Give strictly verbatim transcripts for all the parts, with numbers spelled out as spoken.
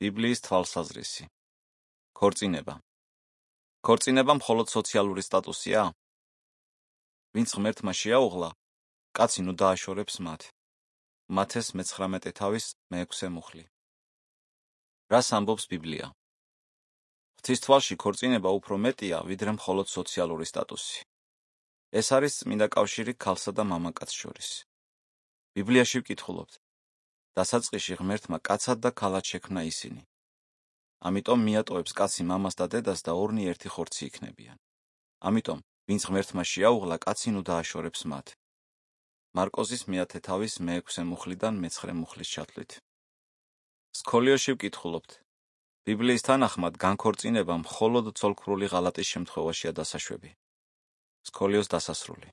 ბიბლიის თვალსაზრისი. ქორწინება. ქორწინება მხოლოდ სოციალური სტატუსია? ვინც ღმერთმა შეაუღლა, კაცი ნუ დააშორებს მათ. მათეს მეცხრამეტე თავის მეექვსე მუხლი. რას ამბობს ბიბლია? ღვთის თვალში ქორწინება უფრო მეტია, ვიდრე მხოლოდ სოციალური სტატუსი. ეს არის წმინდა კავშირი ქალსა და მამაკაცს შორის. ბიბლიაში ვკითხულობთ, დასაწყისში ღმერთმა კაცად და ქალად შექმნა ისინი. ამიტომ მიატოვებს კაცი მამას და დედას და ორნი ერთი ხორცი იქნებიან. ამიტომ, ვინც ღმერთმა შეაუღლა, კაცი ნუ დააშორებს მათ. მარკოზის მეათე თავის მეექვსე მუხლიდან მეცხრე მუხლის ჩათვლით. სქოლიოში ვკითხულობთ, ბიბლიის თანახმად განქორწინება მხოლოდ ცოლქმრული ღალატის შემთხვევაშია დასაშვები. სქოლიოს დასასრული.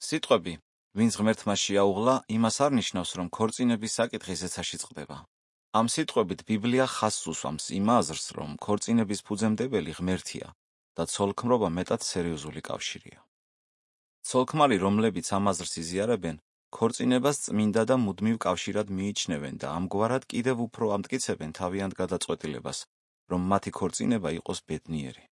სიტყვები, ვინც ღმერთმა შეაუღლა, იმას არ ნიშნავს, რომ ქორწინების საკითხი ზეცაში წყდება. ამ სიტყვებით ბიბლია ხაზს უსვამს იმ აზრს, რომ ქორწინების ფუძემდებელი ღმერთია და ცოლქმრობა მეტად სერიოზული კავშირია. ცოლქმარი, რომლებიც ამ აზრს იზიარებენ, ქორწინებას წმინდა და მუდმივ კავშირად მიიჩნევენ და ამგვარად კიდევ უფრო ამტკიცებენ თავიანთ გადაწყვეტილებას, რომ მათი ქორწინება იყოს ბედნიერი.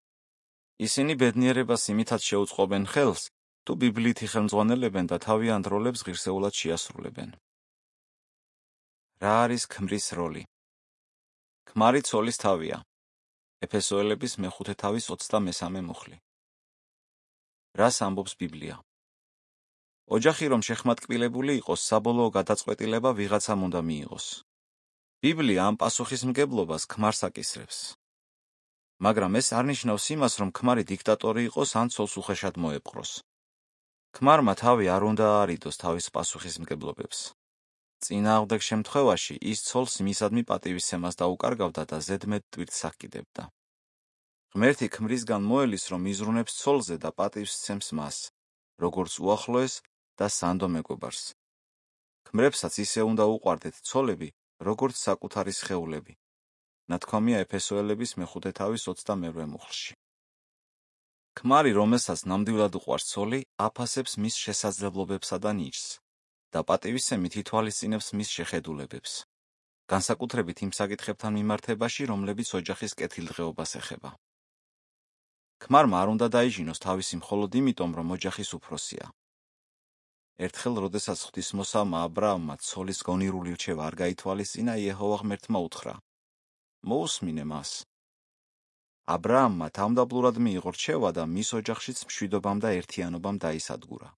ისინი ბედნიერებას იმითაც შეუწყობენ ხელს, თუ ბიბლიითი ხელმძღვანელებენ და თავიანთ როლებს ღირსეულად შეასრულებენ. რა არის ქმრის როლი? ქმარი ცოლის თავია. ეფესოელების მეხუთე თავის ოცდამესამე მუხლი. რას ამბობს ბიბლია? ოჯახი რომ შეხმატკბილებული იყოს, საბოლოო გადაწყვეტილება ვიღაცამ უნდა მიიღოს. ბიბლია ამ პასუხისმგებლობას ქმარს აკისრებს. მაგრამ ეს არ ნიშნავს იმას, რომ ქმარი დიქტატორი იყოს ან ცოლს უხეშად მოეპყროს. ქმარმა თავი არ უნდა აარიდოს თავის პასუხისმგებლობებს. წინააღმდეგ შემთხვევაში ის ცოლს მისადმი პატივისცემას დაუკარგავდა და ზედმეტ ტვირთს აკიდებდა. ღმერთი ქმრისგან მოელის, რომ იზრუნებს ცოლზე და პატივს სცემს მას, როგორც უახლოეს და სანდო მეგობარს. ქმრებსაც ისე უნდა უყვარდეთ ცოლები, როგორც საკუთარი სხეულები. ნათქვამია ეფესოელების მეხუთე თავის ოცდამერვე მუხლში. ქმარი, რომელსაც ნამდვილად უყვარს ცოლი, აფასებს მის შესაძლებლობებსა და ნიჭს და პატივისცემით ითვალისწინებს მის შეხედულებებს, განსაკუთრებით იმ საკითხებთან მიმართებაში, რომლებიც ოჯახის კეთილდღეობას ეხება. ქმარმა არ უნდა დაიჟინოს თავისი მხოლოდ იმიტომ, რომ ოჯახის უფროსია. ერთხელ, როდესაც ღვთისმოსავმა ა ブラ ამმა ცოლის გონირული რჩევა არ გაითვალისწინა, იეჰოვა ღმერთმა უთხრა: მოусმინე მას. ა ブラ ამმა თავმდაბლურად მიიღო რჩევა და მის ოჯახშიც მშვიდობამ და ერთიანობამ დაისადგურა.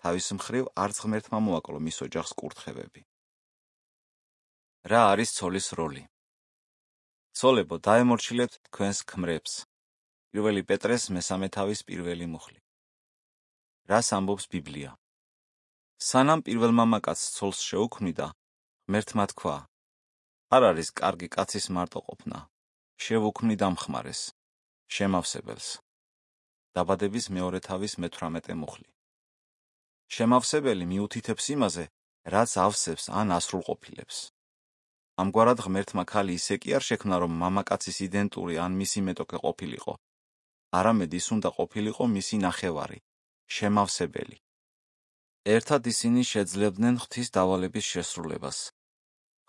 თავის მხრივ არც ღმერთმა მოაკლო მის ოჯახს კურთხევები. რა არის ცოლის როლი? ცოლებო, დაემორჩილებთ თქვენს ქმრებს. პირველი პეტრეს მესამე თავის პირველი მუხლი. რას ამბობს ბიბლია? სანამ პირველ მამაკაცს ცოლს შეუქმნიდა, ღმერთმა თქვა: არ არის კარგი კაცის მარტოყოფნა, შევუქმნი დამხმარეს, შემავსებელს. დაბადების მეორე თავის მეთვრამეტე მუხლი. შემავსებელი მიუთითებს იმაზე, რაც ავსებს ან ასრულყოფილებს. ამგვარად ღმერთმა ქალი ისე კი არ შექმნა, რომ მამაკაცის იდენტური ან მისი მეტოქე ყოფილიყო, არამედ ის უნდა ყოფილიყო მისი ნახევარი, შემავსებელი. ერთად ისინი შეძლებდნენ ღვთის დავალების შესრულებას.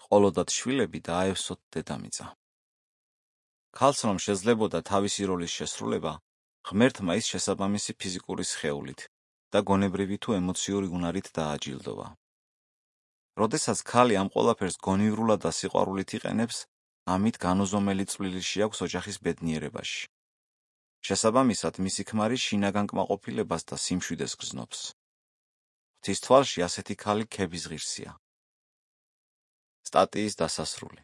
ყოლოდათ შვილები და აევსოთ დედამიწა. ქალს რომ შეძლებოდა თავისი როლის შესრულება, ღმერთმა ის შესაბამისი ფიზიკური სხეულით და გონებრივი თუ ემოციური უნარით დააჯილდოვა. როდესაც ქალი ამ ყველაფერს გონივრულად და სიყვარულით იყენებს, ამით განუზომელი წვლილი შეაქვს ოჯახის ბედნიერებაში. შესაბამისად, მისი ქმარი შინაგან კმაყოფილებას და სიმშვიდეს გრძნობს. ღვთის თვალში ასეთი ქალი ქების ღირსია. სტატიის დასასრული.